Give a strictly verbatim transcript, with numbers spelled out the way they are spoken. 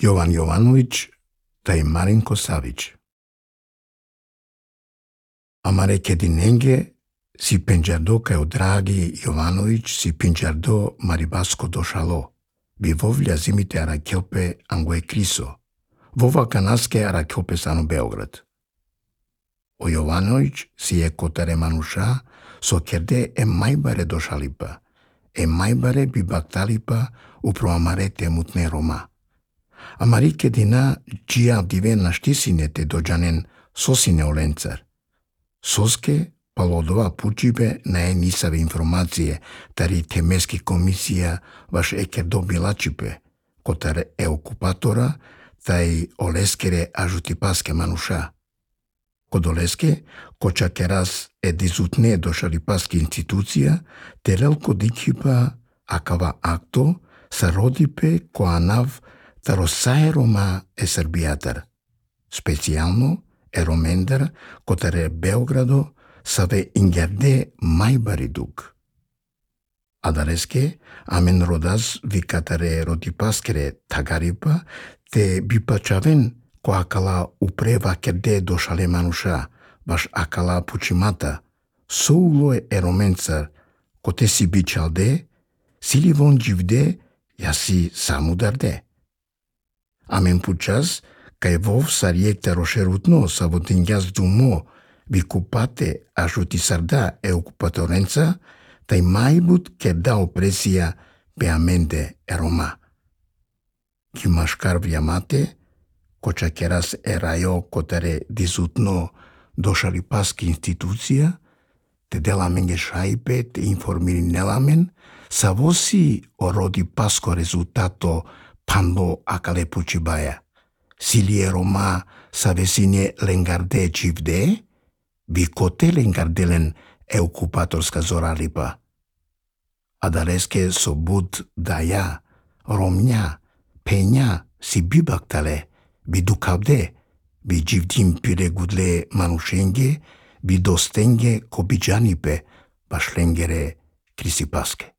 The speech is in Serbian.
Jovan Jovanović taj Marinko Savić. Amare kedinenge si penjardo kao dragi Jovanović si penjardo maribasko došalo. Bi vovlja zimite arakiope angue kriso. Vova kanaske arakiope sano Beograd. O Jovanović si je kotare manuša so kerde e majbare došalipa. E majbare bi baktalipa upro amare temutne Roma. Amari kedina gia dive naštisine te dođanen sosine olencar. Soske palodova pučibe na je nisave informacije tari temeski komisija vaš eker dobilačipe, kotar e okupatora taj oleskere ažuti paske manuša. Kod oleske, koča keras e dizutne došali paske institucija, terelko dikipa akava akto sa rodipe ko anav tarosaje Roma e Srbijatar. Specijalno e Romendar kotare Beogrado save ingerde majbari dug. Adareske, amen rodas vikatare rodipaskere tagaripa te bipačaven ko akala upreva kerde došale manuša, baš akala pučimata, soulo e romencar, kote si bičalde, sili von jivde, jasi samudarde. Amen pučas, kaj vov sarjekte rošerutno sa votinjas dumo, vikupate ajuti sarda e okupatorenca, taj majbut kerda opresija pe amende e Roma. Kimaškar vjamate, koča keras e rajo kotare dizutno došali paski institucija, te delamenge šajpe te informiri nelamen, sa vosi o rodi pasko rezultato panlo akale pučibaja. Silie Roma sa vesine lengarde čivde, bi kote lengardelen e okupatorska zoralipa. Adareske so bud daja, romnja, penja si bibaktale, bi dukavde, bi jivdim pire gudle manušenge, bi dostenge ko biđanipe, baš lengere krisipaske.